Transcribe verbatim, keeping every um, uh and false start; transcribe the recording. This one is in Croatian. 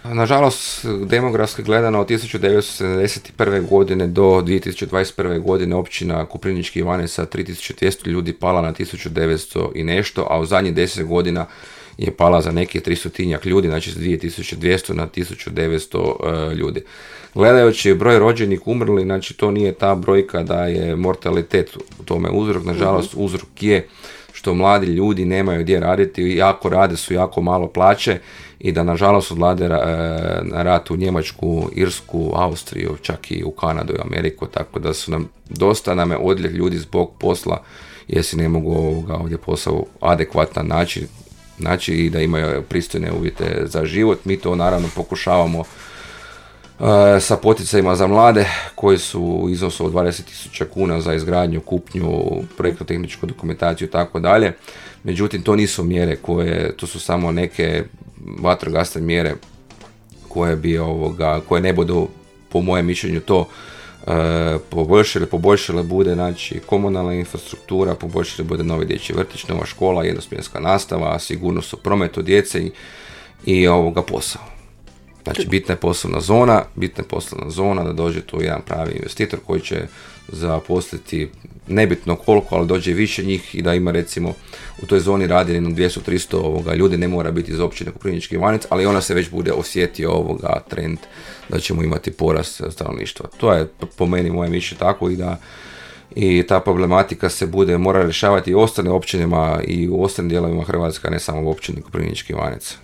Nažalost, demografski gledano od tisuću devetsto sedamdeset prve. godine do dvije tisuće dvadeset prve. godine općina Koprivnički Ivanec sa tri tisuće dvjesto ljudi pala na tisuću devetsto i nešto, a u zadnjih deset godina je pala za neki tristotinjak ljudi, znači s dvije tisuće dvjesto na tisuću devetsto uh, ljudi. Gledajući broj rođenih umrli, znači to nije ta brojka da je mortalitet u tome uzrok, nažalost mm-hmm. uzrok je što mladi ljudi nemaju gdje raditi, jako rade su jako malo plaće i da nažalost odlade na rat u Njemačku, Irsku, Austriju, čak i u Kanadu i Ameriku, tako da su nam, dosta nam je odljev ljudi zbog posla jer si ne mogu ovoga ovdje posao adekvatan način, znači i da imaju pristojne uvjete za život. Mi to naravno pokušavamo uh, sa poticajima za mlade koji su u iznosu od dvadeset tisuća kuna za izgradnju, kupnju, projektno-tehničku dokumentaciju i tako dalje. Međutim, to nisu mjere koje, to su samo neke vatrogasne mjere koje bi ovoga, koje ne budu po mojem mišljenju to e, poboljšale, poboljšale bude znači komunalna infrastruktura, poboljšale bude novi dječji vrtić, nova škola, jednosmjenska nastava, sigurnost u prometu djece i, i ovoga posao. Znači, bitna je poslovna zona, bitna je poslovna zona da dođe tu jedan pravi investitor koji će zaposliti nebitno koliko, ali dođe više njih i da ima recimo u toj zoni radi jedno dvjesto do tristo ovoga ljudi, ne mora biti iz općine Koprivnički Ivanec, ali ona se već bude osjetio ovoga trend da ćemo imati porast stanovništva. To je po meni moje mišljenje tako i da i ta problematika se bude mora rješavati i u ostalim općinama i u ostalim dijelovima Hrvatske, ne samo u općini Koprivnički Ivanec.